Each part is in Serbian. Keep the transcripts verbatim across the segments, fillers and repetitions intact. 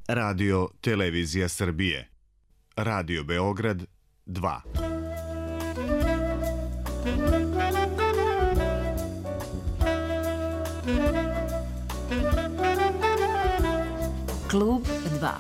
Radio Televizija Srbije. Radio Beograd dva. Klub dva.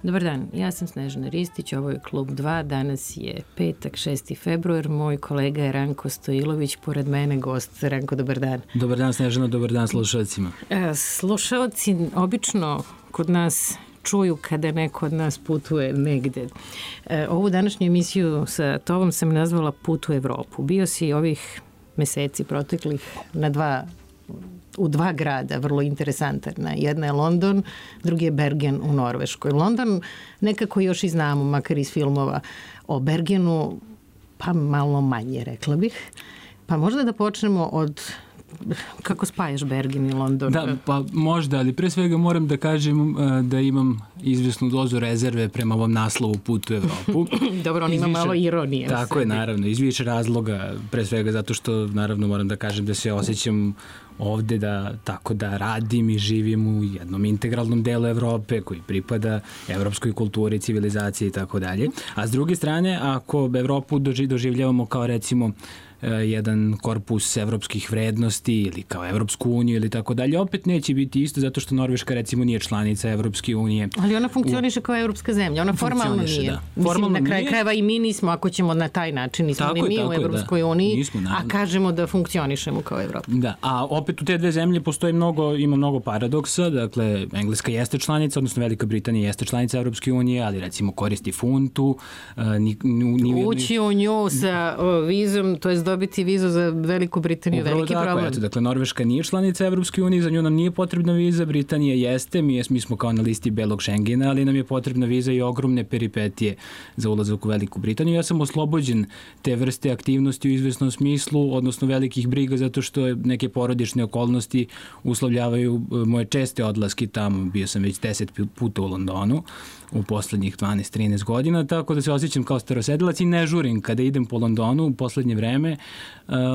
Dobar dan, ja sam Snežana Ristić, ovo je Klub dva, danas je petak, šesti februar, moj kolega je Ranko Stojilović, pored mene gost. Ranko, dobar dan. Dobar dan Snežana, dobar dan slušalcima. E, slušalci obično kod nas čuju kada neko od nas putuje negde. E, ovu današnju emisiju sa tobom sam nazvala Put u Evropu. Bio si ovih meseci proteklih na dva u dva grada, vrlo interesantan. Jedna je London, drugi je Bergen u Norveškoj. London nekako još i znamo, makar iz filmova, o Bergenu, pa malo manje, rekla bih. Pa možda da počnemo od kako spajaš Bergen i London? Da, pa možda, ali pre svega moram da kažem da imam izvesnu dozu rezerve prema ovom naslovu Put u Evropu. Dobro, on ima više, malo ironije. Tako je, naravno, iz više razloga, pre svega zato što, naravno, moram da kažem da se osjećam ovde da tako da radim i živim u jednom integralnom delu Evrope koji pripada evropskoj kulturi, civilizaciji i tako dalje. A s druge strane, ako Evropu doživljavamo kao recimo jedan korpus evropskih vrednosti ili kao Evropsku uniju ili tako dalje, opet neće biti isto zato što Norveška recimo nije članica Evropske unije. Ali ona funkcioniše u... kao evropska zemlja, ona formalno nije. Da. Mislim, formalno na kraju nije. Krajeva i mi nismo, ako ćemo na taj način, nismo tako ni mi u Evropskoj da. uniji, nismo, a kažemo da funkcionišemo kao Evropa. Da, a opet u te dve zemlje postoji mnogo, ima mnogo paradoksa, dakle, Engleska jeste članica, odnosno Velika Britanija jeste članica Evropske unije, ali recimo koristi funtu. Ni, ni, Ući u nju sa o, vizom, to je dobiti vizu za Veliku Britaniju, upravo veliki tako, problem. Eto, dakle, Norveška nije članica Evropske unije, za nju nam nije potrebna viza, Britanija jeste, mi, mi smo kao na listi belog Schengena, ali nam je potrebna viza i ogromne peripetije za ulazak u Veliku Britaniju. Ja sam oslobođen te vrste aktivnosti u izvesnom smislu, odnosno velikih briga, zato što neke porodične okolnosti uslovljavaju moje česte odlaske tamo. Bio sam već deset puta u Londonu u poslednjih dvanaest trinaest godina, tako da se osjećam kao starosedilac i ne žurim kada idem po Londonu u poslednje vreme,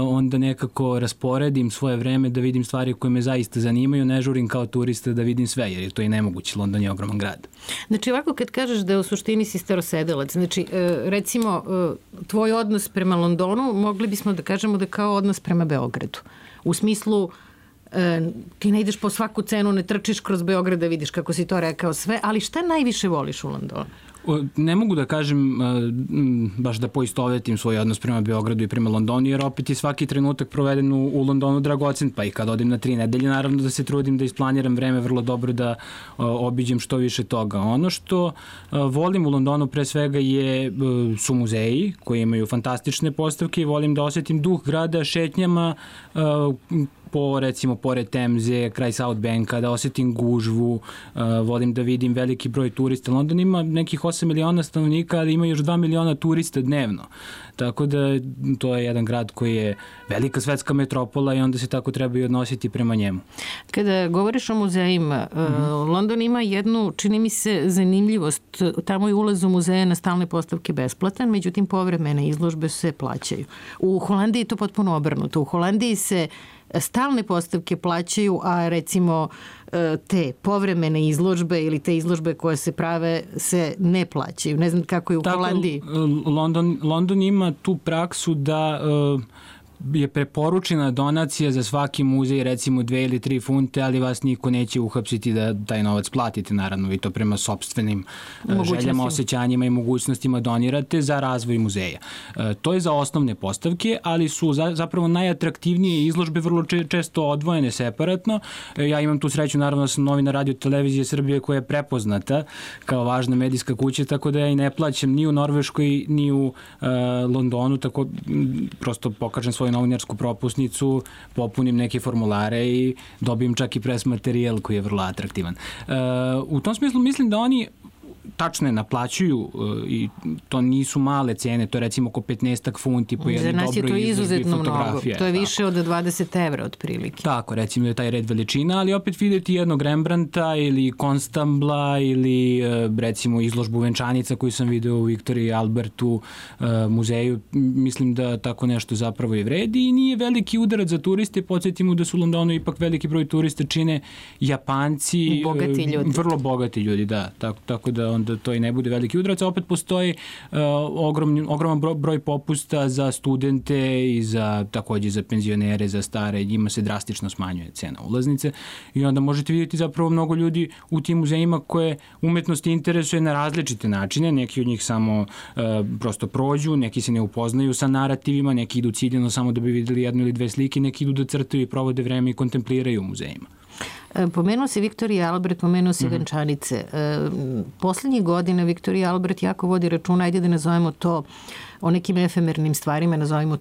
onda nekako rasporedim svoje vreme da vidim stvari koje me zaista zanimaju, ne žurim kao turista da vidim sve, jer je to i nemoguće, London je ogroman grad. Znači ovako kad kažeš da u suštini si starosedilac, znači recimo tvoj odnos prema Londonu mogli bismo da kažemo da kao odnos prema Beogradu. U smislu E, ti ne ideš po svaku cenu, ne trčiš kroz Beograd da vidiš kako si to rekao sve, ali šta najviše voliš u Londonu? Ne mogu da kažem baš da poistovetim svoj odnos prema Beogradu i prema Londonu, jer opet je svaki trenutak proveden u, u Londonu dragocen, pa i kad odem na tri nedelje, naravno da se trudim da isplaniram vreme vrlo dobro, da obiđem što više toga. Ono što volim u Londonu pre svega je, su muzeji koji imaju fantastične postavke i volim da osjetim duh grada šetnjama po, recimo, pored Temze, kraj South Banka, da osjetim gužvu, uh, volim da vidim veliki broj turista. London ima nekih osam miliona stanovnika, ali ima još dva miliona turista dnevno. Tako da to je jedan grad koji je velika svetska metropola i onda se tako treba i odnositi prema njemu. Kada govoriš o muzejima, mm-hmm. London ima jednu, čini mi se, zanimljivost. Tamo je ulaz u muzeje na stalne postavke besplatan, međutim povremene izložbe se plaćaju. U Holandiji je to potpuno obrnuto. U Holandiji se stalne postavke plaćaju, a recimo te povremene izložbe ili te izložbe koje se prave se ne plaćaju. Ne znam kako je u tako, Holandiji. London, London ima tu praksu da uh, je preporučena donacija za svaki muzej, recimo dve ili tri funte, ali vas niko neće uhapsiti da taj novac platite, naravno, vi to prema sopstvenim željama, osjećanjima i mogućnostima donirate za razvoj muzeja. To je za osnovne postavke, ali su zapravo najatraktivnije izložbe vrlo često odvojene separatno. Ja imam tu sreću, naravno, da sam novinar Radio Televizije Srbije koja je prepoznata kao važna medijska kuća, tako da ja i ne plaćam ni u Norveškoj, ni u uh, Londonu, tako prosto pokažem svoju novinarsku propusnicu, popunim neke formulare i dobijem čak i pres materijal koji je vrlo atraktivan. Uh, u tom smislu mislim da oni tačno je, naplaćuju i to nisu male cene, to je recimo oko petnaestak funti po jednoj dobroj izložbi fotografije. Za nas je to izuzetno mnogo, to je više od dvadeset evra otprilike. Tako, recimo da je taj red veličina, ali opet vidjeti jednog Rembrandta ili Konstambla ili recimo izložbu venčanica koju sam video u Viktoriji Albertu muzeju, mislim da tako nešto zapravo i vredi i nije veliki udarac za turiste, podsjetimo da su u Londonu ipak veliki broj turista čine Japanci, bogati ljudi. Vrlo bogati ljudi, da, tako, tako da onda to i ne bude veliki udarac, a opet postoji uh, ogromni, ogroman broj popusta za studente i za takođe za penzionere, za stare, njima se drastično smanjuje cena ulaznice i onda možete vidjeti zapravo mnogo ljudi u tim muzejima koje umetnost interesuje na različite načine, neki od njih samo uh, prosto prođu, neki se ne upoznaju sa narativima, neki idu ciljeno samo da bi videli jednu ili dve slike, neki idu da crtaju i provode vreme i kontempliraju u muzejima. Pomenuo se Viktorija Albert, pomenuo se mm-hmm. venčanice. Poslednjih godina Viktorija Albert jako vodi računa, ajde da nazovemo to o nekim efemernim stvarima, nazovemo,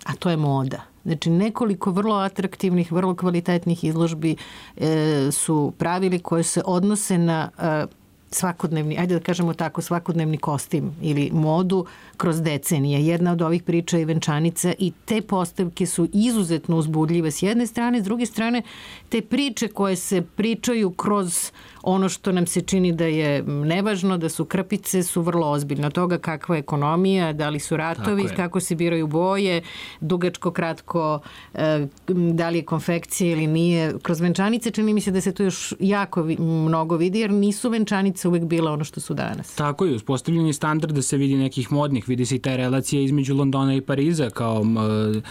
a to je moda. Znači, nekoliko vrlo atraktivnih, vrlo kvalitetnih izložbi e, su pravili koje se odnose na e, svakodnevni, ajde da kažemo tako, svakodnevni kostim ili modu kroz decenije. Jedna od ovih priča je venčanica i te postavke su izuzetno uzbudljive s jedne strane, s druge strane te priče koje se pričaju kroz ono što nam se čini da je nevažno, da su krpice, su vrlo ozbiljne. Od toga kakva je ekonomija, da li su ratovi, kako se biraju boje, dugačko, kratko, da li je konfekcija ili nije. Kroz venčanice čini mi se da se to još jako mnogo vidi, jer nisu venčanice uvek bila ono što su danas. Tako je, uspostavljeni standard da se vidi nekih modnih, vidi se i ta relacija između Londona i Pariza kao e, e,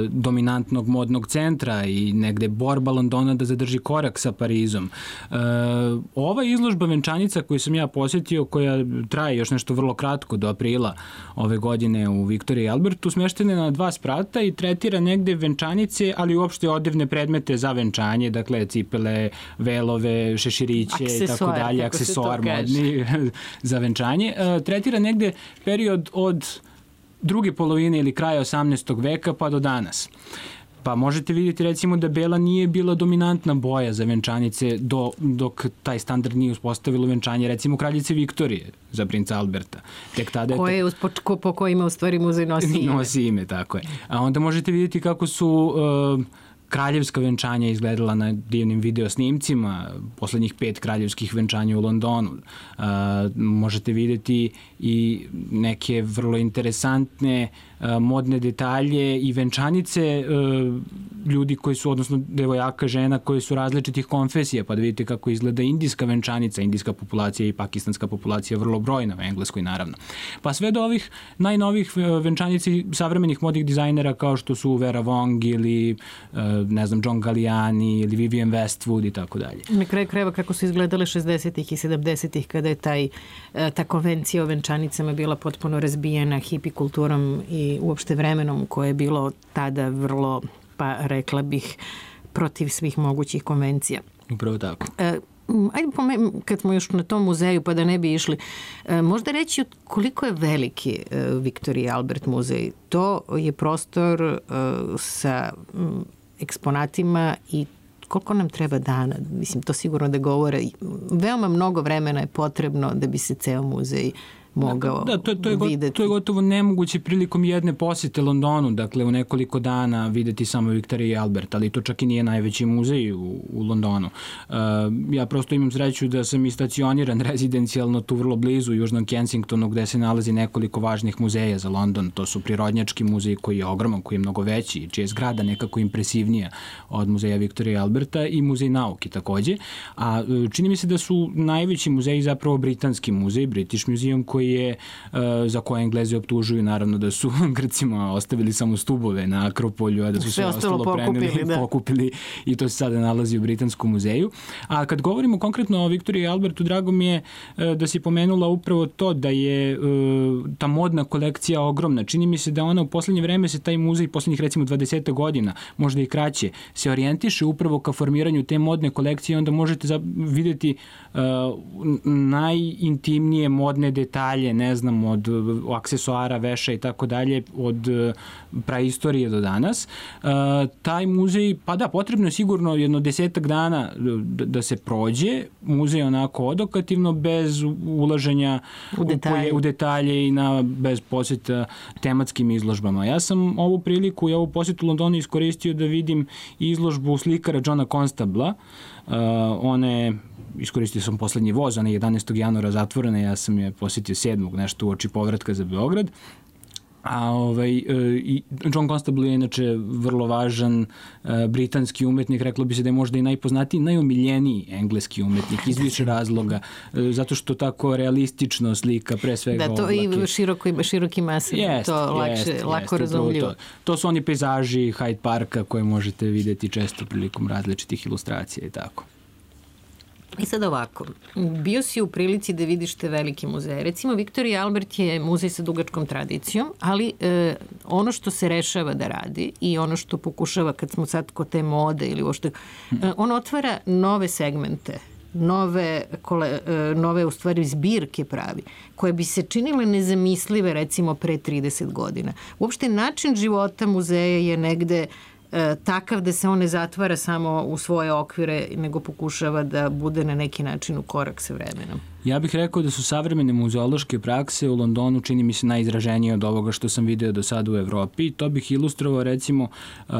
dominantnog modnog centra i negde borba Londona da zadrži korak sa Parizom. E, ova izložba venčanica koju sam ja posjetio, koja traje još nešto vrlo kratko do aprila ove godine u Viktoriji Albertu, smeštena je na dva sprata i tretira negde venčanice, ali uopšte odevne predmete za venčanje, dakle cipele, velove, šeširiće i tako dalje, aksesoar modni za venčanje. E, tretira negde period od druge polovine ili kraja osamnaestog veka pa do danas. Pa možete vidjeti recimo da bela nije bila dominantna boja za venčanice do, dok taj standard nije uspostavilo venčanje recimo kraljice Viktorije za princa Alberta. Tek tada je koje je uspo, ko, po kojima u stvari muzej nosi ime. Nosi ime, tako je. A onda možete vidjeti kako su uh, kraljevska venčanja izgledala na divnim video snimcima, poslednjih pet kraljevskih venčanja u Londonu. Uh, možete vidjeti i neke vrlo interesantne uh, modne detalje i venčanice uh, ljudi koji su, odnosno devojaka, žena koji su različitih konfesija, pa da vidite kako izgleda indijska venčanica, indijska populacija i pakistanska populacija vrlo brojna u Engleskoj naravno. Pa sve do ovih najnovih venčanica savremenih modnih dizajnera kao što su Vera Wong ili uh, ne znam, John Galliani ili Vivienne Westwood i tako dalje. Na kraju krajeva kako su izgledale šezdesetih i sedamdesetih kada je taj, ta konvencija o venčanicama bila potpuno razbijena hipi kulturom i uopšte vremenom koje je bilo tada vrlo, pa rekla bih, protiv svih mogućih konvencija. Upravo tako. E, Ajde, kad smo još na tom muzeju, pa da ne bi išli, možda reći koliko je veliki Viktorija Albert muzej. To je prostor sa eksponatima i koliko nam treba dana, mislim, to sigurno da govore. Veoma mnogo vremena je potrebno da bi se ceo muzej mogao da, to, to je videti. To je gotovo nemoguće prilikom jedne posete Londonu, dakle u nekoliko dana videti samo Viktorija Albert, ali to čak i nije najveći muzej u, u Londonu. Uh, ja prosto imam sreću da sam i stacioniran rezidencijalno tu vrlo blizu u Južnom Kensingtonu gde se nalazi nekoliko važnih muzeja za London. To su Prirodnjački muzej koji je ogroman, koji je mnogo veći, čija je zgrada nekako impresivnija od muzeja Viktorija Alberta i muzej nauke takođe. A čini mi se da su najveći muzeji zapravo britanski muzej, British Museum, koji je, za koje Englezi optužuju naravno da su Grcima ostavili samo stubove na Akropolju, a da su sve, sve ostalo preneli, da. pokupili i to se sada nalazi u Britanskom muzeju. A kad govorimo konkretno o Viktoriji Albertu, drago mi je da si pomenula upravo to da je ta modna kolekcija ogromna. Čini mi se da ona u poslednje vreme se taj muzej, poslednjih recimo dvadeset godina, možda i kraće, se orijentiše upravo ka formiranju te modne kolekcije i onda možete videti najintimnije modne detalje detalje, ne znam, od aksesuara, veša i tako dalje, od praistorije do danas. Taj muzej, pa da, potrebno je sigurno jedno desetak dana da se prođe, muzej onako odokativno, bez ulaženja u detalje, u detalje i na, bez posjeta tematskim izložbama. Ja sam ovu priliku i ovu posjetu Londonu iskoristio da vidim izložbu slikara Johna Constabla. Uh, one, iskoristio sam poslednji voz, ona je jedanaestog januara zatvorena, ja sam je posjetio sedmog nešto uoči povratka za Beograd. A ovaj, i John Constable je inače vrlo važan uh, britanski umetnik, reklo bi se da je možda i najpoznatiji, najomiljeniji engleski umetnik iz više razloga, uh, zato što tako realistično slika pre svega da, to oblake. I široko, široki masa, jest, to lakše, jest, lako jest, razumljivo. To, to su oni pejzaži Hyde Parka koje možete vidjeti često prilikom različitih ilustracija i tako. I sad ovako, bio si u prilici da vidiš te velike muzeje. Recimo, Viktorija Albert je muzej sa dugačkom tradicijom, ali e, ono što se rešava da radi i ono što pokušava, kad smo sad kod te mode ili uopšte, e, on otvara nove segmente, nove, kole, e, nove u stvari zbirke pravi, koje bi se činile nezamislive recimo pre trideset godina. Uopšte način života muzeja je negde takav da se on ne zatvara samo u svoje okvire, nego pokušava da bude na neki način u korak sa vremenom. Ja bih rekao da su savremene muzeološke prakse u Londonu čini mi se najizraženije od ovoga što sam video do sada u Evropi. To bih ilustrovao recimo uh,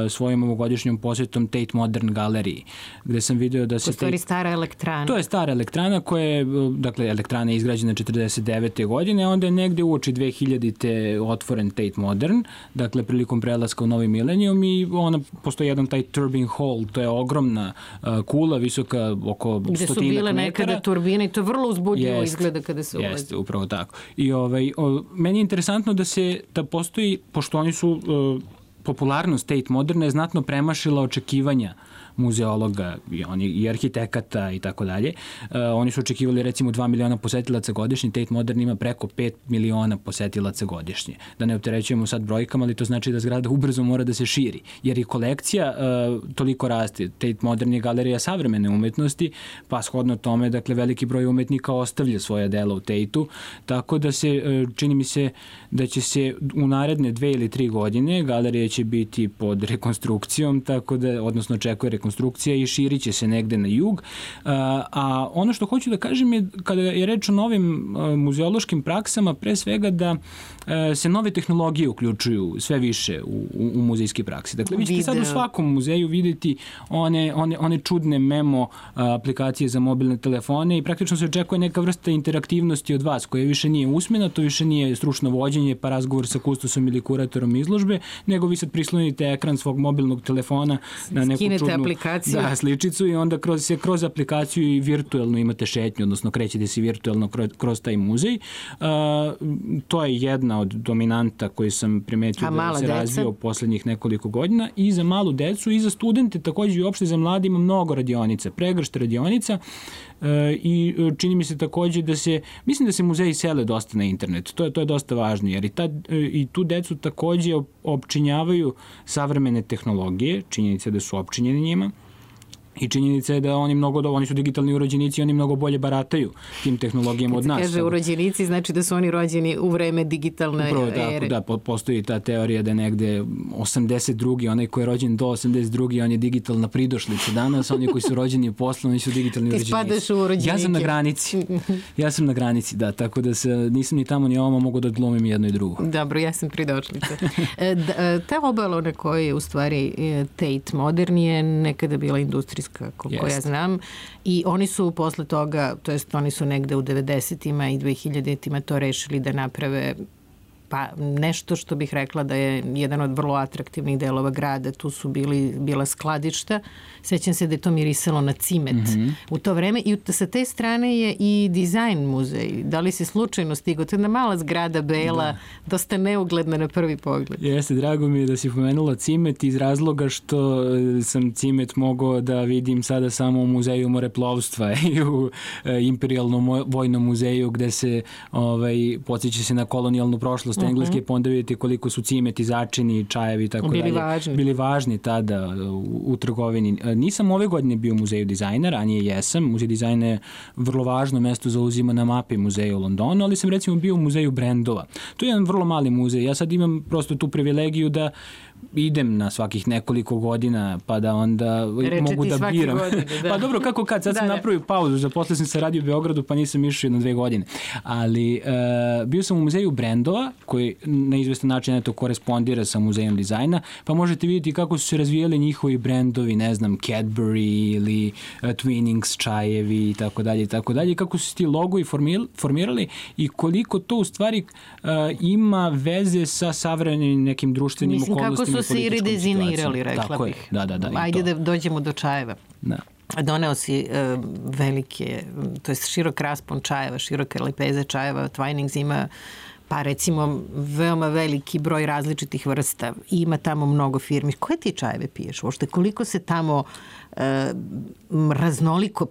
svojom ovogodišnjom posjetom Tate Modern galeriji, gde sam video da se... To je stara elektrana. To je stara elektrana koja je, dakle, elektrana je izgrađena četrdeset devete godine, onda je negde uoči dve hiljadite otvoren Tate Modern, dakle, prilikom prelaska u novi milenijum i ona, postoji jedan taj turbine hall, to je ogromna uh, kula, visoka oko stotinak metara. Gde su bile nekada turbine i to vrlo uzbudljivo jest, izgleda kada se ulazi. Jeste, upravo tako. I ovaj, o, meni je interesantno da se, da postoji, pošto oni su, uh, popularnost Tate Moderna je znatno premašila očekivanja muzeologa i, oni, i arhitekata i tako dalje. Uh, oni su očekivali recimo dva miliona posetilaca godišnje, Tate Modern ima preko pet miliona posetilaca godišnje. Da ne opterećujemo sad brojkama, ali to znači da zgrada ubrzo mora da se širi. Jer i kolekcija uh, toliko raste. Tate Modern je galerija savremene umetnosti, pa shodno tome, dakle, veliki broj umetnika ostavlja svoja dela u Tateu, tako da se, uh, čini mi se da će se u naredne dve ili tri godine galerija će biti pod rekonstrukcijom, tako da, odnosno očekuje rekonstrukcija i širit će se negde na jug. A, a ono što hoću da kažem je, kada je reč o novim a, muzeološkim praksama, pre svega da a, se nove tehnologije uključuju sve više u, u, u muzejske prakse. Dakle, vi ćete sad u svakom muzeju videti one, one, one čudne memo a, aplikacije za mobilne telefone i praktično se očekuje neka vrsta interaktivnosti od vas, koja više nije usmena, to više nije stručno vođenje pa razgovor sa kustosom ili kuratorom izložbe, nego vi sad prislonite ekran svog mobilnog telefona na neku Skinete čudnu aplikaciju. Da, sličicu i onda kroz, se kroz aplikaciju i virtuelno imate šetnju, odnosno krećete se virtuelno kroz, kroz taj muzej. Uh, to je jedna od dominanta koji sam primetio da se deca razvio u poslednjih nekoliko godina i za malu decu i za studente, takođe i uopšte za mlade ima mnogo radionica, pregršt radionica uh, i čini mi se takođe da se, mislim da se muzeji sele dosta na internet, to je, to je dosta važno, jer i, ta, i tu decu takođe opčinjavaju savremene tehnologije, činjenica da su opčinjeni njima, i činjenica je da oni mnogo, oni su digitalni urođenici i oni mnogo bolje barataju tim tehnologijama od nas. Kad se kaže urođenici, znači da su oni rođeni u vreme digitalne Upravo ere. Tako, da, postoji ta teorija da negde osamdeset drugi onaj koji je rođen do osamdeset drugi on je digitalna pridošlica danas, oni koji su rođeni posle, oni su digitalni urođenici. Ti spadaš u urođenike. Ja sam na granici. Ja sam na granici, da, tako da se nisam ni tamo ni ovamo, mogu da glumim jedno i drugo. Dobro, ja sam pridošlica. Ta obala na kojoj je u stvari Tate Modern je nekada bila industrijska, koliko ja znam, i oni su posle toga, to jest oni su negde u devedesetima i dvehiljaditima to rešili da naprave pa nešto što bih rekla da je jedan od vrlo atraktivnih delova grada. Tu su bili, bila skladišta. Sećam se da je to mirisalo na cimet mm-hmm. u to vreme i sa te strane je i dizajn muzej. Da li si slučajno stigao? To je jedna mala zgrada bela, da. Dosta neugledna na prvi pogled. Jeste, drago mi je da si pomenula cimet iz razloga što sam cimet mogao da vidim sada samo u muzeju moreplovstva i u Imperijalnom vojnom muzeju gde se ovaj, podsjeća se na kolonijalnu prošlost dosta uh-huh. engleske, pa onda vidite koliko su cimeti, začini, čajevi i tako bili dalje. Važni. Bili važni tada u, u trgovini. Nisam ove godine bio u muzeju dizajna, ranije jesam. Muzej dizajna je vrlo važno mesto zauzima na mapi muzeja u Londonu, ali sam recimo bio u muzeju brendova. To je jedan vrlo mali muzej. Ja sad imam prosto tu privilegiju da idem na svakih nekoliko godina pa da onda Reče mogu da biram. Godine, da. Pa dobro, kako kad, sad da, sam da. napravio pauzu, zaposlio sam se radio u Beogradu pa nisam išao jedno dve godine. Ali uh, bio sam u muzeju brendova koji na izvestan način eto korespondira sa muzejom dizajna, pa možete vidjeti kako su se razvijali njihovi brendovi, ne znam, Cadbury ili uh, Twinings čajevi i tako dalje i tako dalje, kako su se ti logovi formirali i koliko to u stvari uh, ima veze sa savremenim nekim društvenim Mislim, okolnostima. Kako su se i redezinirali, rekla Tako bih. Je. Da, da, da, Ajde da dođemo do čajeva. Da. Doneo si uh, velike, to je širok raspon čajeva, široke lepeze čajeva. Twinings ima pa recimo veoma veliki broj različitih vrsta. Ima tamo mnogo firmi. Koje ti čajeve piješ? Uopšte koliko se tamo uh, raznoliko,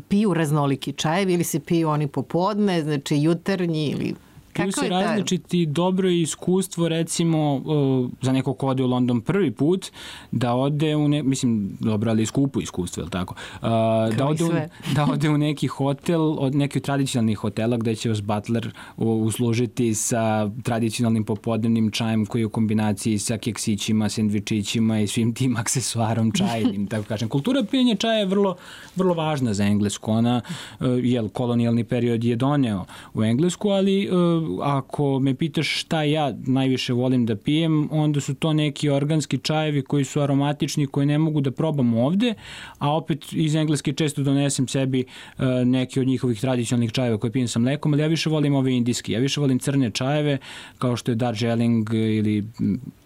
piju raznoliki čajevi ili se piju oni popodne, znači jutarnji ili... Piju se različiti, dobro je iskustvo recimo uh, za neko ko ode u London prvi put da ode u ne, mislim dobro ali skupo iskustvo, je li tako? Uh, da, ode u, da ode u neki hotel, od nekih tradicionalnih hotela gde će vas butler uslužiti sa tradicionalnim popodnevnim čajem koji je u kombinaciji sa keksićima, sendvičićima i svim tim aksesuarom čajnim, tako kažem. Kultura pijenja čaja je vrlo, vrlo važna za Englesku. Ona, uh, jel, kolonijalni period je doneo u Englesku, ali uh, ako me pitaš šta ja najviše volim da pijem, onda su to neki organski čajevi koji su aromatični, koje ne mogu da probam ovde, a opet iz Engleske često donesem sebi uh, neki od njihovih tradicionalnih čajeva koje pijem sa mlekom, ali ja više volim ove indijski. Ja više volim crne čajeve, kao što je Darjeeling ili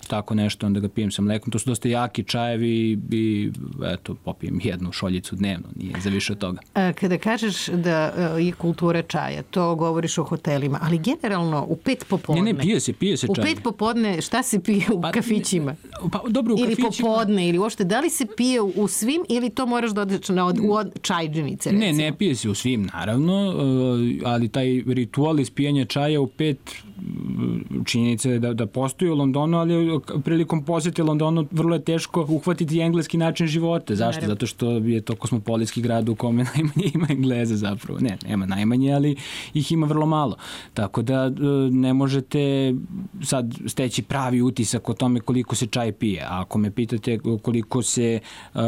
tako nešto, onda ga pijem sa mlekom. To su dosta jaki čajevi i eto, popijem jednu šoljicu dnevno, nije za više od toga. A, kada kažeš da je kultura čaja, to govoriš o hotelima, ali generalno u pet popodne. Ne, ne, pije se, pije se čaj. U pet popodne šta se pije u pa, kafićima? Pa, dobro, u ili kafićima. popodne, ili uopšte, da li se pije u svim ili to moraš da odeš na od, od čajđenice, recimo? Ne, ne pije se u svim, naravno, ali taj ritual ispijanja čaja u pet činjenica je da, da postoji u Londonu, ali prilikom posjete Londonu vrlo je teško uhvatiti engleski način života. Zašto? Naravno. Zato što je to kosmopolitski grad u kome najmanje ima Engleza zapravo. Ne, nema najmanje, ali ih ima vrlo malo. Tako da ne možete sad steći pravi utisak o tome koliko se čaj pije. A ako me pitate koliko se uh,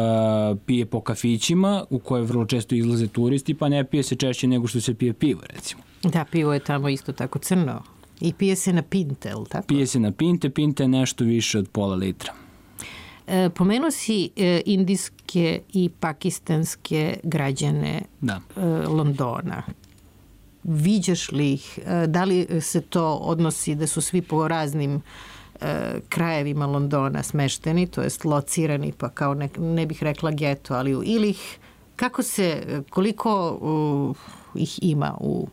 pije po kafićima, u koje vrlo često izlaze turisti, pa ne pije se češće nego što se pije pivo, recimo. Da, pivo je tamo isto tako crno. I pije se na pinte, ili tako? Pije se na pinte, pinte je nešto više od pola litra. E, pomenuo si e, indijske i pakistanske građane da. e, Londona. Viđaš li ih? E, da li se to odnosi da su svi po raznim e, krajevima Londona smešteni, to jest locirani, pa kao ne, ne bih rekla geto, ali ili ih, kako se, koliko uh, ih ima u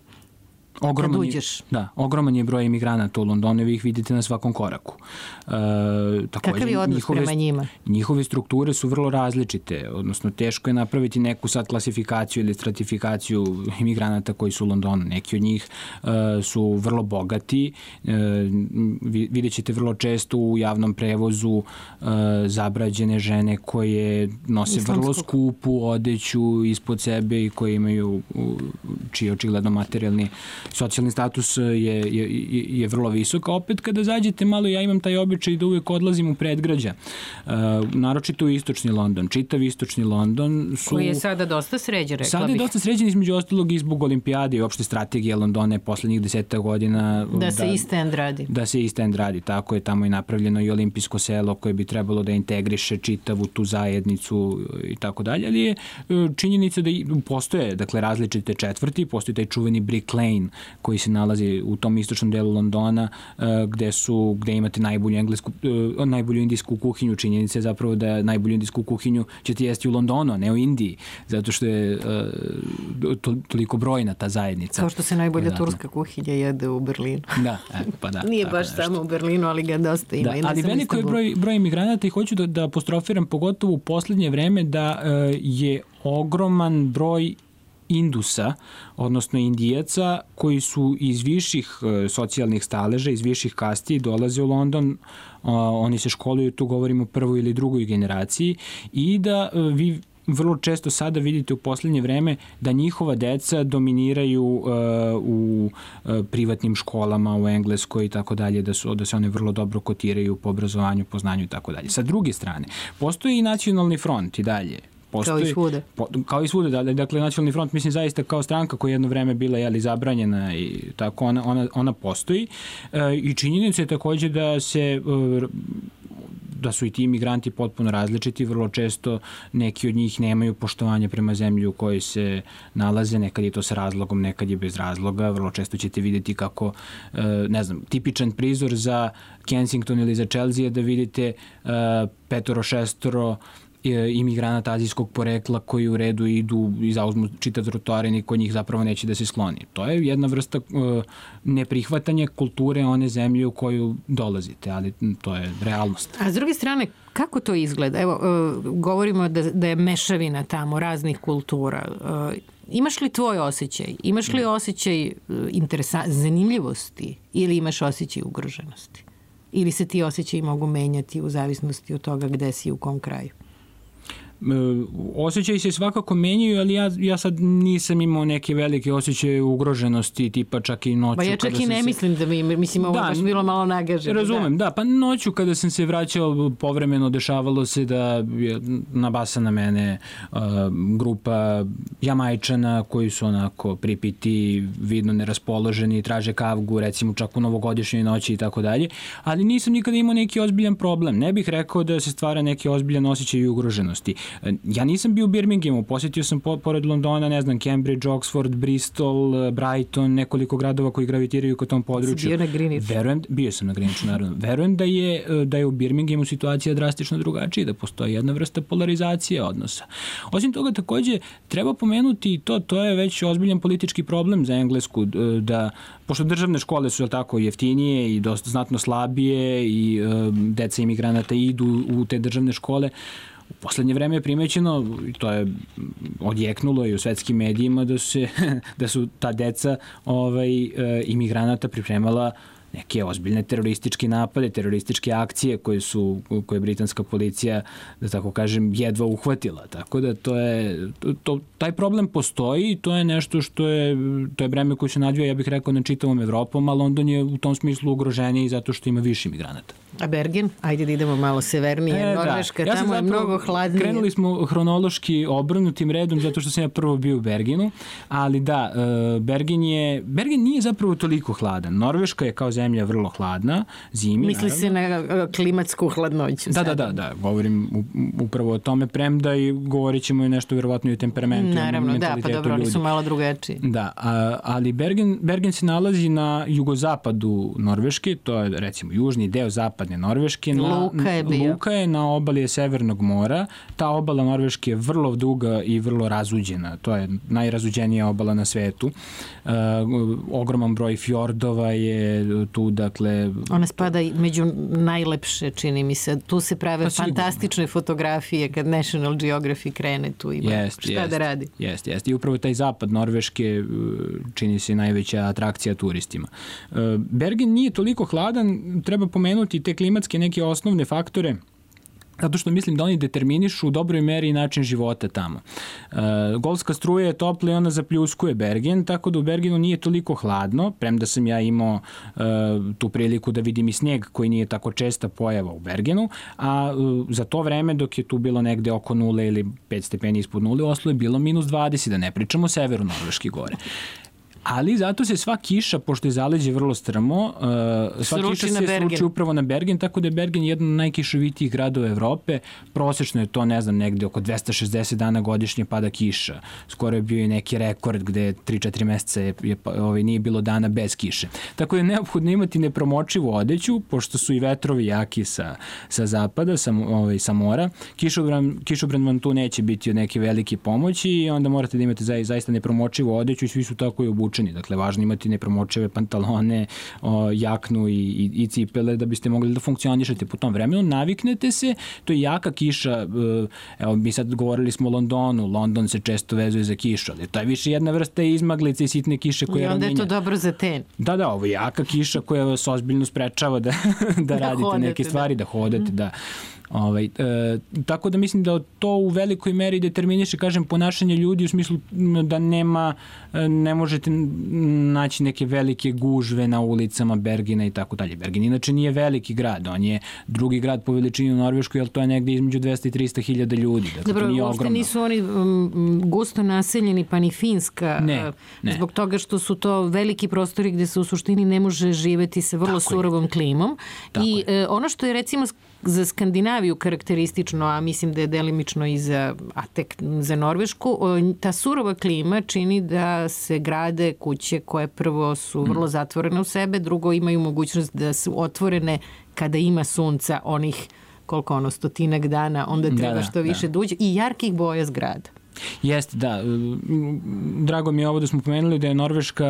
Ogroman je, da, ogroman je broj imigranata u Londonu, vi ih vidite na svakom koraku. E, također, Kakav je odnos njihove, prema njima? Njihove strukture su vrlo različite, odnosno teško je napraviti neku sad klasifikaciju ili stratifikaciju imigranata koji su u Londonu. Neki od njih e, su vrlo bogati, e, vidjet ćete vrlo često u javnom prevozu e, zabrađene žene koje nose Islamskog. vrlo skupu odeću ispod sebe i koje imaju, čiji očigledno materijalni socijalni status je, je, je vrlo visok, a opet kada zađete malo, ja imam taj običaj da uvijek odlazim u predgrađa. Uh, naročito u istočni London. Čitav istočni London su... Koji je sada dosta sređen, rekla sada bih. Sada je dosta sređen između ostalog i zbog olimpijade i uopšte strategije Londone poslednjih deseta godina. Da, da se East End radi. Da se East End radi. Tako je, tamo je napravljeno i olimpijsko selo koje bi trebalo da integriše čitavu tu zajednicu i tako dalje. Ali je činjenica da postoje, dakle, različite četvrti, postoji taj čuveni Brick Lane koji se nalazi u tom istočnom delu Londona gde su, gde imate najbolju englesku, najbolju indijsku kuhinju. Činjenica je zapravo da najbolju indijsku kuhinju ćete jesti u Londonu, a ne u Indiji, zato što je to, toliko brojna ta zajednica. Kao što se najbolja da, turska kuhinja jede u Berlinu. Da, e, pa da. Nije baš nešto. Samo u Berlinu, ali ga dosta ima. Da, ali veliko je broj, broj imigranata i hoću da, da apostrofiram pogotovo u poslednje vreme da je ogroman broj Indusa, odnosno Indijaca, koji su iz viših socijalnih staleža, iz viših kasti dolaze u London, oni se školuju, tu govorimo o prvoj ili drugoj generaciji, i da vi vrlo često sada vidite u poslednje vreme da njihova deca dominiraju uh, u uh, privatnim školama u Engleskoj i tako dalje, da su da se one vrlo dobro kotiraju po obrazovanju, po znanju i tako dalje. Sa druge strane, postoji i nacionalni front i dalje. Postoji, kao i svude. Po, kao i svude, da, dakle, nacionalni front, mislim, zaista kao stranka koja je jedno vreme bila, jeli, zabranjena i tako, ona, ona, ona postoji. E, I činjenica je takođe da se e, da su i ti imigranti potpuno različiti, vrlo često neki od njih nemaju poštovanja prema zemlji u kojoj se nalaze, nekad je to sa razlogom, nekad je bez razloga, vrlo često ćete vidjeti kako, ne znam, tipičan prizor za Kensington ili za Chelsea je da vidite petoro, šestoro imigranata azijskog porekla koji u redu idu i zauzmu čitav trotoar i niko njih zapravo neće da se skloni. To je jedna vrsta uh, neprihvatanja kulture one zemlje u koju dolazite, ali to je realnost. A s druge strane, kako to izgleda? Evo, uh, govorimo da, da je mešavina tamo raznih kultura. Uh, imaš li tvoj osjećaj? Imaš li osjećaj uh, interesa- zanimljivosti ili imaš osjećaj ugroženosti? Ili se ti osjećaji mogu menjati u zavisnosti od toga gde si u kom kraju? Osjećaji se svakako menjaju, ali ja, ja sad nisam imao neke velike osjećaje ugroženosti, tipa čak i noću. Ba ja čak i ne se... mislim da mi, mislim ovo da, baš bilo malo nagaženo. Razumem, da. da, pa noću kada sam se vraćao povremeno dešavalo se da je nabasa na mene uh, grupa Jamajčana koji su onako pripiti, vidno neraspoloženi, traže kavgu, recimo čak u novogodišnjoj noći i tako dalje, ali nisam nikada imao neki ozbiljan problem. Ne bih rekao da se stvara neki ozbiljan osjećaj i ugroženosti. Ja nisam bio u Birminghamu, posjetio sam po, pored Londona, ne znam, Cambridge, Oxford, Bristol, Brighton, nekoliko gradova koji gravitiraju ka tom području. Si bio na Greenwichu? Verujem, bio sam na Greenwichu, naravno. Verujem da je, da je u Birminghamu situacija drastično drugačija, da postoji jedna vrsta polarizacije odnosa. Osim toga, takođe, treba pomenuti to, to je već ozbiljan politički problem za Englesku, da, pošto državne škole su tako jeftinije i dosta znatno slabije i um, deca imigranata idu u te državne škole, u poslednje vreme je primećeno, to je odjeknulo i u svetskim medijima, da su, se, da su ta deca ovaj, imigranata pripremala neke ozbiljne terorističke napade, terorističke akcije koje su, koje je britanska policija, da tako kažem, jedva uhvatila. Tako da to je, to, taj problem postoji i to je nešto što je, to je breme koje se nadvija, ja bih rekao, na čitavom Evropom, a London je u tom smislu ugroženiji zato što ima više migranata. A Bergen? Ajde da idemo malo severnije. E, Norveška, ja tamo je mnogo hladnije. Krenuli smo hronološki obrnutim redom zato što sam ja prvo bio u Bergenu, ali da, Bergen je, Bergen nije zapravo toliko hladan. Norveška je kao zemlja vrlo hladna, zimi. Misli naravno. Se na klimatsku hladnoću. Da, da, da, da, govorim upravo o tome, premda i govorit ćemo i nešto verovatno i o temperamentu. Naravno, da, pa dobro, oni su malo drugačiji. Da, a, ali Bergen, Bergen se nalazi na jugozapadu Norveške, to je recimo južni deo zapada Norveške. Na, Luka je bio. Luka je na obali Severnog mora. Ta obala Norveške je vrlo duga i vrlo razuđena. To je najrazuđenija obala na svetu. Uh, ogroman broj fjordova je tu, dakle... Ona spada među najlepše, čini mi se. Tu se prave pa fantastične fotografije kad National Geographic krene tu ima jest, šta jest, da radi. Jeste, jeste. I upravo taj zapad Norveške čini se najveća atrakcija turistima. Uh, Bergen nije toliko hladan, treba pomenuti te klimatske neke osnovne faktore, zato što mislim da oni determinišu u dobroj meri način života tamo. E, golska struja je topla i ona zapljuskuje Bergen, tako da u Bergenu nije toliko hladno, premda sam ja imao e, tu priliku da vidim i snijeg koji nije tako česta pojava u Bergenu, a e, za to vreme dok je tu bilo negde oko nule ili pet stepeni ispod nule, u Oslu je bilo minus dvadeset, da ne pričamo o severu Norveške gore. Ali zato se sva kiša, pošto je zaleđe vrlo strmo, uh, sva sruči kiša se sruči upravo na Bergen, tako da je Bergen jedan od najkišovitijih gradova Evrope. Prosečno je to, ne znam, negde oko dvesta šezdeset dana godišnje pada kiša. Skoro je bio i neki rekord gde tri četiri meseca je, je, ovaj, nije bilo dana bez kiše. Tako da je neophodno imati nepromočivu odeću, pošto su i vetrovi jaki sa, sa zapada, sa, ovaj, sa mora. Kišobran, kišobran vam tu neće biti od neke velike pomoći i onda morate da imate za, zaista nepromočivu odeću i svi su tako i obučeni obučeni. Dakle, važno imati nepromočive pantalone, o, jaknu i, i, i cipele da biste mogli da funkcionišete po tom vremenu. Naviknete se, to je jaka kiša, evo mi sad govorili smo o Londonu, London se često vezuje za kišu, ali to je više jedna vrsta izmaglice i sitne kiše koja I onda je je to dobro za ten. Da, da, ovo je jaka kiša koja vas ozbiljno sprečava da, da, da radite hodete, neke stvari, da, da hodate, da. Ovaj, e, tako da mislim da to u velikoj meri determiniše, kažem, ponašanje ljudi u smislu da nema, ne možete naći neke velike gužve na ulicama Bergena i tako dalje. Bergen inače nije veliki grad, on je drugi grad po veličini u Norveškoj, ali to je negde između dvesta i trista hiljada ljudi. Dakle, dobro, uopšte nisu oni um, gusto naseljeni, pa ni Finska, ne, ne. Zbog toga što su to veliki prostori gde se u suštini ne može živeti sa vrlo tako surovom je. Klimom. Tako I je. ono što je recimo za Skandinaviju karakteristično, a mislim da je delimično i za, a tek za Norvešku, ta surova klima čini da se grade kuće koje prvo su vrlo zatvorene u sebe, drugo imaju mogućnost da su otvorene kada ima sunca onih koliko ono, stotinak dana, onda treba da, što više da. Duđe i jarkih boja zgrada. Jeste, da. Drago mi je ovo da smo pomenuli da je Norveška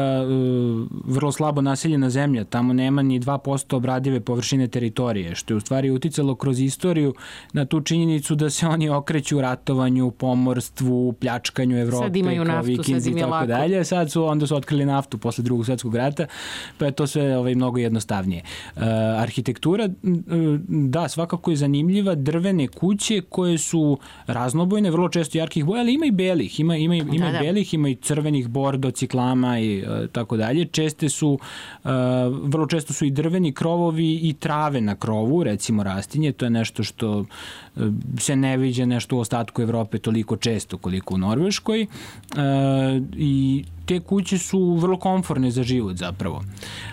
vrlo slabo naseljena zemlja. Tamo nema ni dva posto obradive površine teritorije, što je u stvari uticalo kroz istoriju na tu činjenicu da se oni okreću ratovanju, pomorstvu, pljačkanju Evrope, sad imaju kao naftu, Vikinzi i tako dalje. Sad su, onda su otkrili naftu posle drugog svetskog rata, pa je to sve ovaj, mnogo jednostavnije. Uh, arhitektura, da, svakako je zanimljiva, drvene kuće koje su raznobojne, vrlo često jarkih boja, ali ima i belih, ima, ima, ima da, da. belih, ima i crvenih, bordo, ciklama i uh, tako dalje. Česte su, uh, vrlo često su i drveni krovovi i trave na krovu, recimo rastinje, to je nešto što uh, se ne viđa nešto u ostatku Evrope toliko često koliko u Norveškoj uh, i te kuće su vrlo komforne za život zapravo.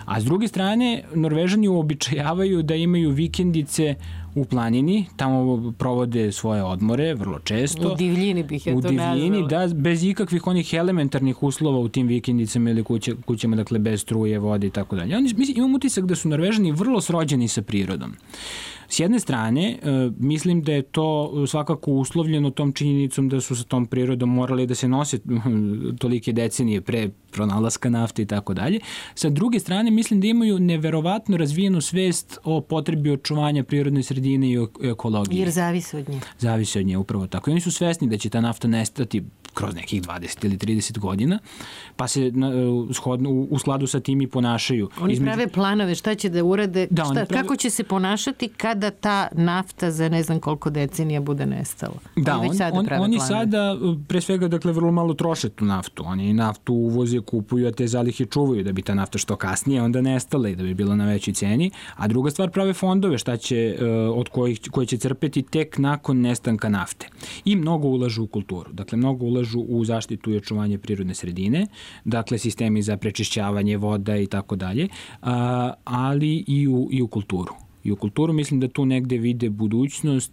A s druge strane, Norvežani uobičajavaju da imaju vikendice u planini, tamo provode svoje odmore vrlo često. U divljini bih ja to nazvala. U divljini, da, bez ikakvih onih elementarnih uslova u tim vikendicama ili kuće, kućama, dakle bez struje, vode i tako dalje. Oni, mislim, imam utisak da su Norvežani vrlo srođeni sa prirodom. S jedne strane, mislim da je to svakako uslovljeno tom činjenicom da su sa tom prirodom morali da se nose tolike decenije pre pronalaska nafte i tako dalje. Sa druge strane, mislim da imaju neverovatno razvijenu svest o potrebi očuvanja prirodne sredine i ekologije. Jer zavisi od nje. Zavisi od nje, upravo tako. I oni su svesni da će ta nafta nestati kroz nekih dvadeset ili trideset godina, pa se shodno, u skladu sa tim i ponašaju. Oni Između... prave planove šta će da urade, da, šta, prave... kako će se ponašati kada ta nafta za ne znam koliko decenija bude nestala. Da, oni, on, sada on, oni planove. sada pre svega dakle vrlo malo troše tu naftu. Oni naftu uvoze, kupuju, a te zalihe čuvaju da bi ta nafta što kasnije onda nestala i da bi bila na većoj ceni. A druga stvar, prave fondove šta će, od kojih, koje će crpeti tek nakon nestanka nafte. I mnogo ulažu u kulturu. Dakle, mnogo ulažu u zaštitu i očuvanje prirodne sredine, dakle sistemi za prečišćavanje voda i tako dalje, ali i u, i u kulturu. I u kulturu mislim da tu negde vide budućnost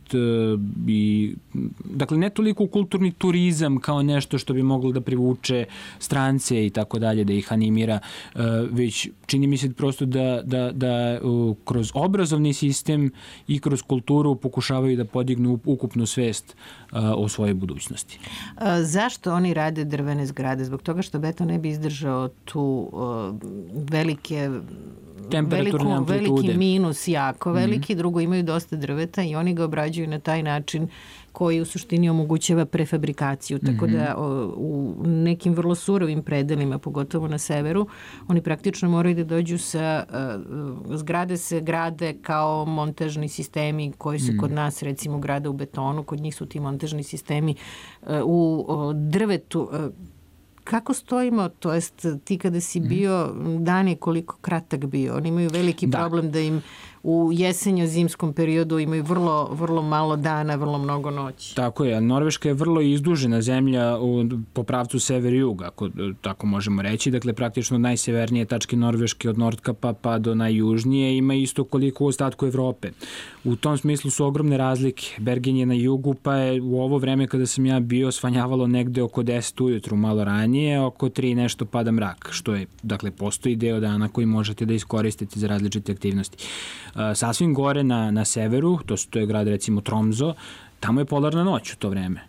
i, dakle, ne toliko kulturni turizam kao nešto što bi moglo da privuče strance i tako dalje, da ih animira, već čini mi se prosto da, da, da kroz obrazovni sistem i kroz kulturu pokušavaju da podignu ukupnu svest o svojoj budućnosti. A, zašto oni rade drvene zgrade? Zbog toga što beton ne bi izdržao tu uh, velike temperaturne amplitude. Veliki minus, jako veliki, mm-hmm. drugo imaju dosta drveta i oni ga obrađuju na taj način koji u suštini omogućava prefabrikaciju. Tako mm-hmm. da o, u nekim vrlo surovim predelima, pogotovo na severu, oni praktično moraju da dođu sa uh, zgrade se grade kao montažni sistemi koji se mm-hmm. kod nas recimo grade u betonu, kod njih su ti montažni sistemi uh, u uh, drvetu. Uh, Kako stojimo, to jest ti kada si bio, dan je koliko kratak bio, oni imaju veliki da. problem da im u jesenjo-zimskom periodu imaju vrlo, vrlo malo dana, vrlo mnogo noći. Tako je, Norveška je vrlo izdužena zemlja u, po pravcu sever-jug, ako tako možemo reći, dakle praktično od najsevernije tačke Norveške od Nordkapa pa do najjužnije ima isto koliko u ostatku Evrope. U tom smislu su ogromne razlike. Bergen je na jugu, pa je u ovo vreme kada sam ja bio svanjavalo negde oko deset ujutru, malo ranije, oko tri nešto pada mrak, što je, dakle, postoji deo dana koji možete da iskoristite za različite aktivnosti. Sasvim gore na, na severu, to, to je grad recimo Tromso, tamo je polarna noć u to vreme.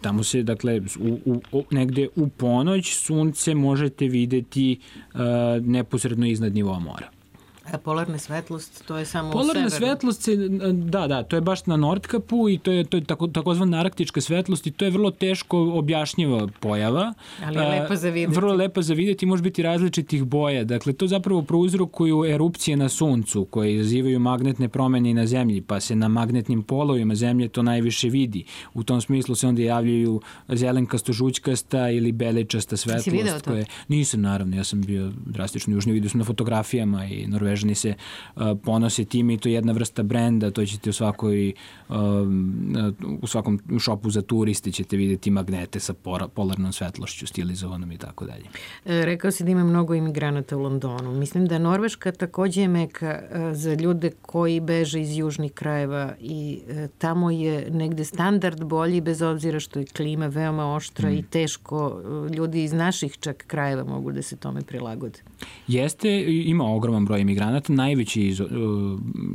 tamo se, dakle, u, u, negde u ponoć sunce možete videti uh, neposredno iznad nivoa mora. A polarna svetlost, to je samo polarna u severu? Svetlost se, da, da, to je baš na Nordkapu i to je, to je tako, takozvana arktička svetlost i to je vrlo teško objašnjiva pojava. Ali je lepa za vidjeti. Vrlo lepa za vidjeti i može biti različitih boja. Dakle, to zapravo prouzrokuju erupcije na suncu koje izazivaju magnetne promene i na zemlji, pa se na magnetnim polovima zemlje to najviše vidi. U tom smislu se onda javljaju zelenkasto-žućkasta ili belečasta svetlost. Jesi video to? Koje... Nisam, naravno, ja sam bio drastično južniji, vidio sam na fotografijama i Norvežani se uh, ponose time i to je jedna vrsta brenda, to ćete u svakoj uh, u svakom šopu za turiste ćete vidjeti magnete sa pora, polarnom svetlošću, stilizovanom i tako dalje. E, rekao si da ima mnogo imigranata u Londonu. Mislim da Norveška takođe je meka e, za ljude koji beže iz južnih krajeva i e, tamo je negde standard bolji bez obzira što je klima veoma oštra mm. i teško e, ljudi iz naših čak krajeva mogu da se tome prilagode. Jeste, ima ogroman broj imigranata. Najveći iz, uh,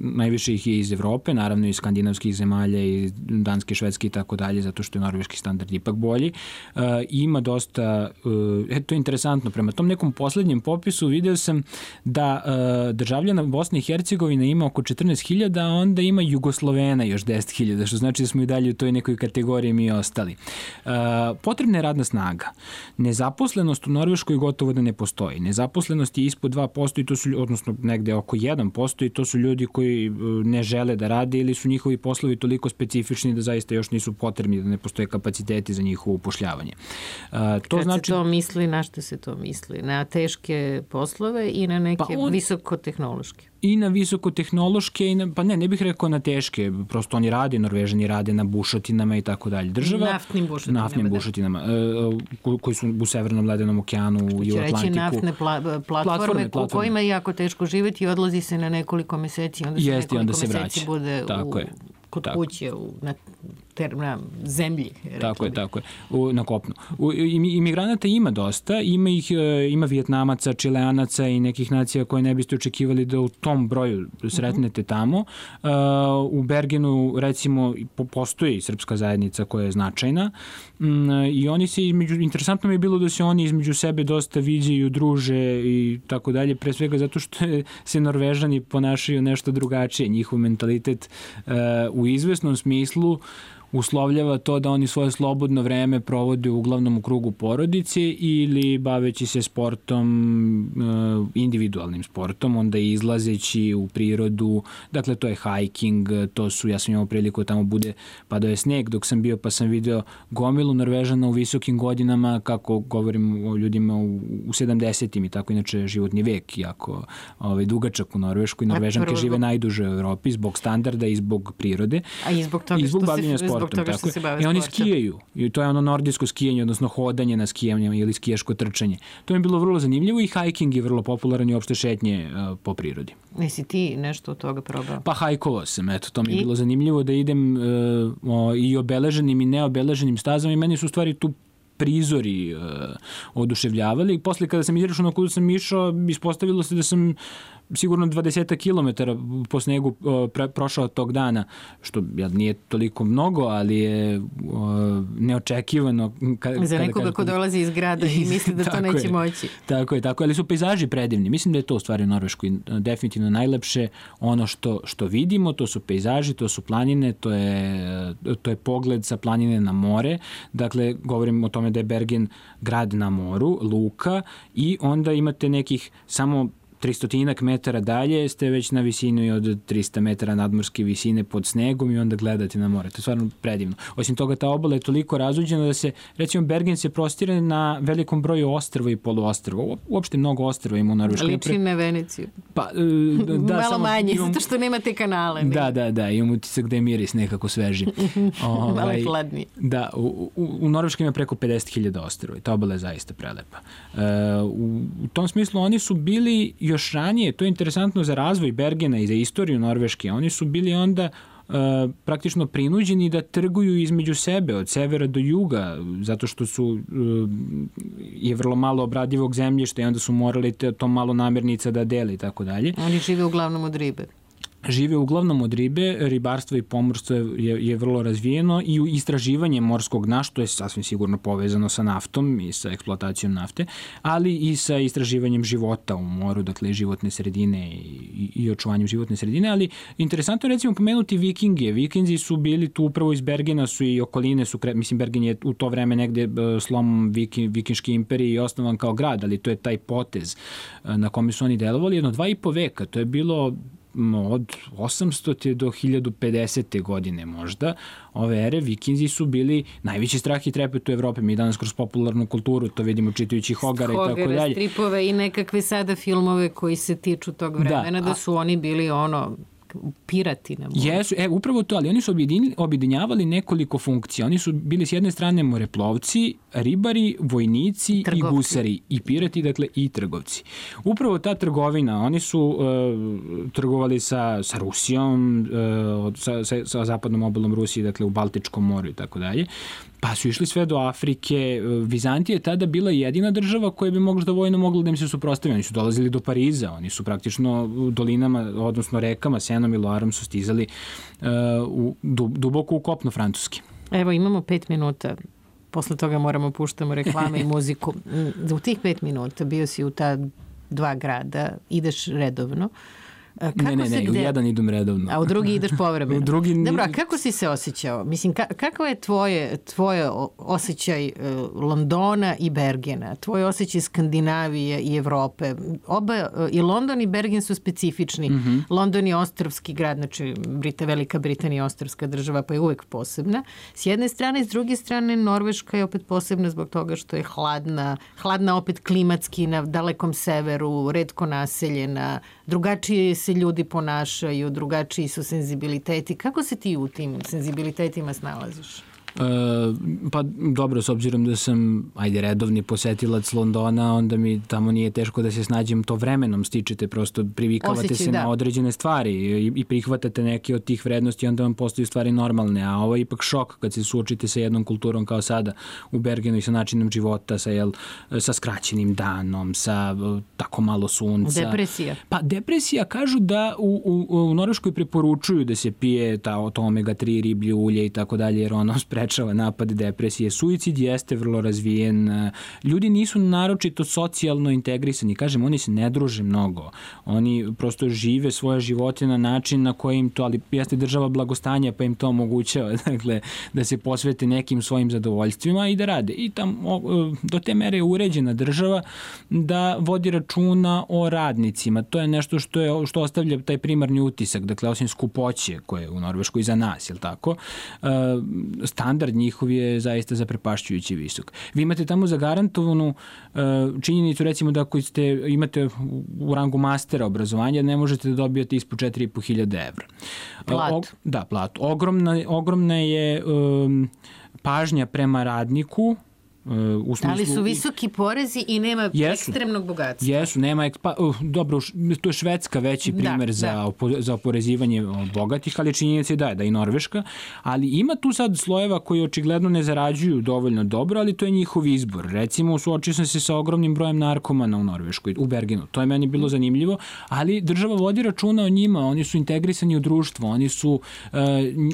najviše ih je iz Evrope, naravno iz skandinavskih zemalja, i Danske, Švedske i tako dalje, zato što je norveški standard ipak bolji. Uh, ima dosta, uh, e, to je interesantno, prema tom nekom poslednjem popisu video sam da uh, državljana Bosne i Hercegovine ima oko četrnaest hiljada, a onda ima Jugoslovena još deset hiljada, što znači da smo i dalje u toj nekoj kategoriji mi ostali. Uh, potrebna je radna snaga. Nezaposlenost u Norveškoj gotovo da ne postoji. Nezaposlenost je ispod dva posto i to su, odnosno negde oko jedan posto i to su ljudi koji ne žele da rade ili su njihovi poslovi toliko specifični da zaista još nisu potrebni, da ne postoje kapaciteti za njihovo upošljavanje. Uh, to Kad znači... se to misli, na što se to misli? Na teške poslove i na neke pa on... visokotehnološke? I na visokotehnološke, i na, pa ne, ne bih rekao na teške, prosto oni rade, Norvežani rade na bušotinama i tako dalje. Država, naftnim bušotinama. Naftnim bušotinama, da. koji su u Severnom ledenom okeanu i u Atlantiku. Reći naftne pla, platforme, platforme, u kojima je jako teško živjeti i odlazi se na nekoliko meseci, onda se Jest, nekoliko onda se meseci vraća. Bude tako u, je. kod tako. kuće, u, na, ter, na zemlji. Tako je, tako je, u, na kopnu. U, imigranata ima dosta, ima ih, ima Vijetnamaca, Čileanaca i nekih nacija koje ne biste očekivali da u tom broju sretnete tamo. Uh, u Bergenu, recimo, postoji srpska zajednica koja je značajna um, i oni se između, interesantno mi je bilo da se oni između sebe dosta viđaju, druže i tako dalje, pre svega zato što se Norvežani ponašaju nešto drugačije. Njihov mentalitet uh, u izvesnom smislu uslovljava to da oni svoje slobodno vreme provode uglavnom u krugu porodice ili baveći se sportom, individualnim sportom, onda izlazeći u prirodu, dakle to je hiking, to su, ja sam imao priliku tamo bude, padao je sneg dok sam bio, pa sam video gomilu Norvežana u visokim godinama, kako govorim o ljudima u, u sedamdesetim i tako, inače životni vek jako ovaj, dugačak u Norveškoj. Norvežanke žive najduže u Evropi zbog standarda i zbog prirode. A i zbog toga i zbog što bavljenja se, sportom, zbog toga što se bave I oni sportom. skijaju. I to je ono nordijsko skijanje, odnosno hodanje na skijanjama ili skijaško trčanje. To mi je bilo vrlo zanimljivo i hiking je vrlo popularan i opšte šetnje uh, po prirodi. Nisi ti nešto od toga probao? Pa hajkovao sam, eto, to mi je I? bilo zanimljivo da idem uh, o, i obeleženim i neobeleženim stazama i meni su u stvari tu prizori uh, oduševljavali. I posle kada sam izrešao na kudu sam išao, ispostavilo se da sam sigurno dvadeset kilometara po snegu pre, prošao tog dana, što ja, nije toliko mnogo, ali je o, neočekivano. Ka, Za nekoga kada, ko dolazi iz grada i misli da to neće je, moći. Tako je, tako je, ali su pejzaži predivni. Mislim da je to u stvari u Norveškoj definitivno najlepše. Ono što, što vidimo, to su pejzaži, to su planine, to je, to je pogled sa planine na more. Dakle, govorim o tome da je Bergen grad na moru, luka, i onda imate nekih samo tristotinak metara dalje ste već na visini od trista metara nadmorske visine pod snegom i onda gledate na more. To je stvarno predivno. Osim toga, ta obala je toliko razuđena da se, recimo, Bergen se prostire na velikom broju ostrva i poluostrva. Uopšte mnogo ostrva ima u Norveškoj. Liči na Veneciju. Pa, da, malo samo, manje, imam, zato što nema te kanale. Ne? Da, da, da. Imam utisak da je miris nekako sveži. ovaj, malo hladnije. Da, u, u, u Norveškoj ima preko pedeset hiljada ostrva i ta obala je zaista prelepa. Uh, u, u tom smislu oni su bili još ranije, to je interesantno za razvoj Bergena i za istoriju Norveške, oni su bili onda uh, praktično prinuđeni da trguju između sebe, od severa do juga, zato što su uh, je vrlo malo obradivog zemljišta i onda su morali te, to malo namirnica da dele i tako dalje. Oni žive uglavnom od ribe. žive uglavnom od ribe, ribarstvo i pomorstvo je, je vrlo razvijeno i istraživanje morskog dna, što je sasvim sigurno povezano sa naftom i sa eksploatacijom nafte, ali i sa istraživanjem života u moru, dakle životne sredine i, i očuvanjem životne sredine, ali interesantno je recimo pomenuti Vikinge. Vikinzi su bili tu upravo iz Bergena su i okoline su, mislim Bergen je u to vreme negde slom Viking, Vikinške imperije i osnovan kao grad, ali to je taj potez na kome su oni delovali jedno dva i po veka. To je bilo od osamstote do hiljadu pedesete godine možda, ove ere, Vikinzi su bili najveći strah i trepet u Evropi. Mi danas kroz popularnu kulturu to vidimo čitajući Hogara i tako dalje. Hogara, stripove i nekakve sada filmove koji se tiču tog vremena, da, da su oni bili ono pirati na moru. Jesu, e, upravo to, ali oni su objedinjavali nekoliko funkcija. Oni su bili s jedne strane moreplovci, ribari, vojnici trgovci. I gusari, i pirati, dakle, i trgovci. Upravo ta trgovina, oni su uh, trgovali sa, sa Rusijom, uh, sa, sa, sa zapadnom obalom Rusije, dakle, u Baltičkom moru i tako dalje. Pa su išli sve do Afrike. Vizantija je tada bila jedina država koja bi možda vojno mogla da im se suprotstavi. Oni su dolazili do Pariza, oni su praktično u dolinama, odnosno rekama, Senom i Loarom su stizali uh, u, duboko u kopno Francuski. Evo, imamo pet minuta. Posle toga moramo puštamo reklame i muziku. U tih pet minuta bio si u ta dva grada, ideš redovno. Kako ne, ne, ne, gde... u jedan idem redovno. A u drugi ideš povremeno. U drugi... Dobro, a kako si se osjećao? Mislim, ka- kako je tvoje, tvoje osjećaj uh, Londona i Bergena? Tvoj osjećaj Skandinavije i Evrope? Oba, uh, i London i Bergen su specifični. Mm-hmm. London je ostrvski grad, znači Brita, Velika Britanija je ostrvska država, pa je uvek posebna. S jedne strane, s druge strane, Norveška je opet posebna zbog toga što je hladna, hladna opet klimatski na dalekom severu, retko naseljena, drugačije se ljudi ponašaju, drugačiji su senzibiliteti. Kako se ti u tim senzibilitetima snalaziš? E, pa dobro, s obzirom da sam ajde redovni posetilac Londona, onda mi tamo nije teško da se snađem to vremenom, stičete, prosto privikavate Osjećaj, se da. na određene stvari i, i prihvatate neke od tih vrednosti, onda vam postaju stvari normalne, a ovo je ipak šok kad se suočite sa jednom kulturom kao sada u Bergenu i sa načinom života, sa, jel, sa skraćenim danom, sa tako malo sunca. Depresija. Pa depresija, kažu da u, u, u Norveškoj preporučuju da se pije ta, to omega tri riblje ulje i tako dalje, jer ono sprečava napad depresije. Suicid jeste vrlo razvijen. Ljudi nisu naročito socijalno integrisani. Kažem, oni se ne druže mnogo. Oni prosto žive svoje živote na način na koji im to, ali jeste država blagostanja pa im to omogućava, dakle, da se posvete nekim svojim zadovoljstvima i da rade. I tam do te mere je uređena država da vodi računa o radnicima. To je nešto što je što ostavlja taj primarni utisak, dakle, osim skupoće koje je u Norveškoj za nas, je li tako? Standard njihov je zaista zaprepašćujući visok. Vi imate tamo zagarantovanu uh, činjenicu, recimo da ako ste, imate u rangu mastera obrazovanja, ne možete da dobijete ispod četiri i po hiljade evra. Plat. Uh, da, plat. Ogromna, ogromna je um, pažnja prema radniku, u smislu, ali su visoki porezi i nema jesu, ekstremnog bogatstva. Jesu, nema, pa, uh, dobro, to je Švedska veći primer da, za, da. Opo, za oporezivanje bogatih, ali činjenica je da je, da i Norveška, ali ima tu sad slojeva koji očigledno ne zarađuju dovoljno dobro, ali to je njihov izbor. Recimo, suočio sam se sa ogromnim brojem narkomana u Norveškoj, u Bergenu. To je meni bilo zanimljivo, ali država vodi računa o njima, oni su integrisani u društvo, oni su uh,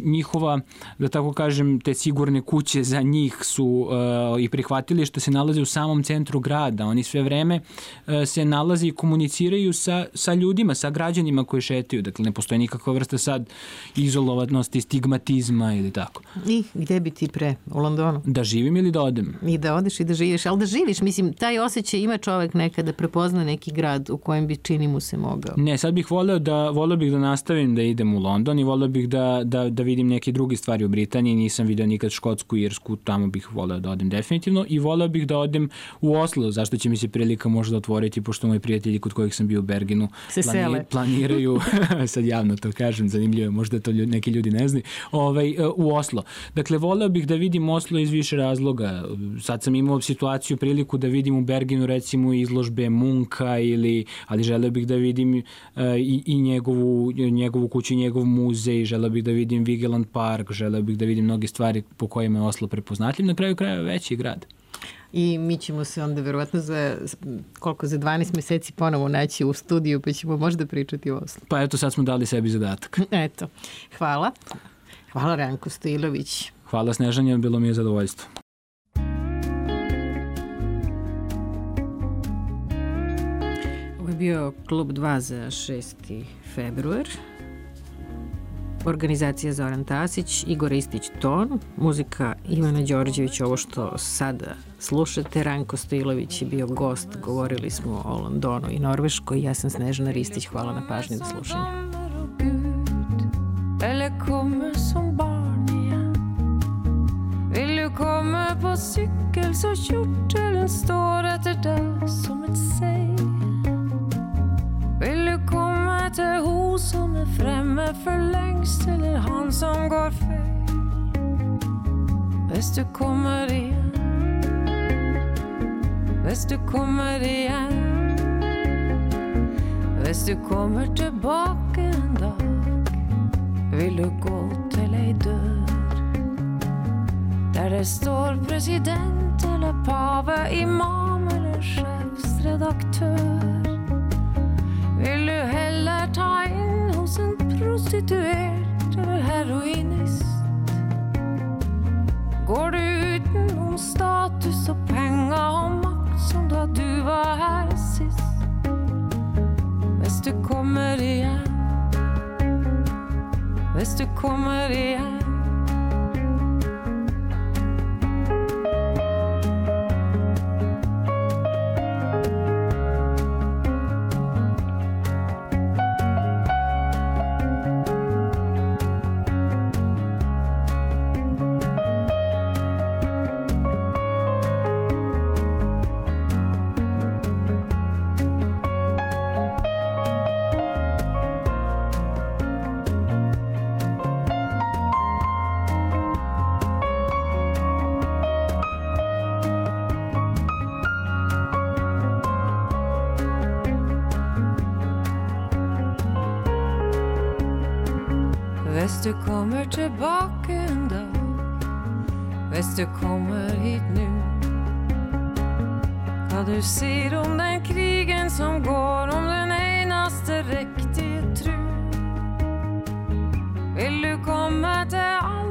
njihova, da tako kažem, te sigurne kuće za njih su uh, i prihvatilišta se nalaze u samom centru grada. Oni sve vreme uh, se nalaze i komuniciraju sa, sa ljudima, sa građanima koji šetaju. Dakle, ne postoji nikakva vrsta sad izolovanosti, stigmatizma ili tako. I gde bi ti pre? U Londonu? Da živim ili da odem? I da odeš i da živiš, ali da živiš. Mislim, taj osjećaj ima čovek nekada prepozna neki grad u kojem bi čini mu se mogao. Ne, sad bih voleo da, voleo bih da nastavim da idem u London i voleo bih da, da, da vidim neke druge stvari u Britaniji. Nisam vidio nikad Škotsku, Irsku, tamo bih voleo da odem definitivno i voleo bih da odem u Oslo, zašto će mi se prilika možda otvoriti, pošto moji prijatelji kod kojih sam bio u Bergenu plani, planiraju, sad javno to kažem, zanimljivo je, možda to ljudi, neki ljudi ne znaju, ovaj, u Oslo. Dakle, voleo bih da vidim Oslo iz više razloga. Sad sam imao situaciju, priliku da vidim u Bergenu recimo izložbe Munka, ili, ali želeo bih da vidim uh, i, i njegovu, njegovu kuću, njegov muzej, želeo bih da vidim Vigeland Park, želeo bih da vidim mnoge stvari po kojima je Oslo prepoznatljiv, na kraju kraja veći grad. I mi ćemo se onda verovatno za koliko, za dvanaest meseci ponovo naći u studiju, pa ćemo možda pričati o Oslu. Pa eto, sad smo dali sebi zadatak. Eto, hvala. Hvala Ranko Stojilović. Hvala Snežanja, bilo mi je zadovoljstvo. Ovo je bio Klub dva za šesti februar. Organizacija Zoran Tasić, Igor Istić ton, muzika Ivana Đorđević, ovo što sada slušate. Ranko Stojilović je bio gost, govorili smo o Londonu i Norveškoj. Ja sam Snežana Ristić, hvala na pažnji za slušanje. Eller kommer som barn igen. Vill du komma på cykel så kjortelen står etter deg som et seg. Vill du komma til ho som er fremme for lengst, eller han som går feil? Hvis du kommer igjen, hvis du kommer igjen, hvis du kommer tilbake en dag, vil du gå til ei dør der det står president eller pave, imam eller sjefsredaktør. Vil du heller ta inn hos en prostituert eller heroinist? Går du utenom status og penger og makt som da du var her sist? Hvis du kommer igjen, hvis du kommer igjen, hvis du kommer tilbake en dag, hvis du kommer hit nu. Hva du sier om den krigen som går, om den eneste riktige tro. Vil du komme til alle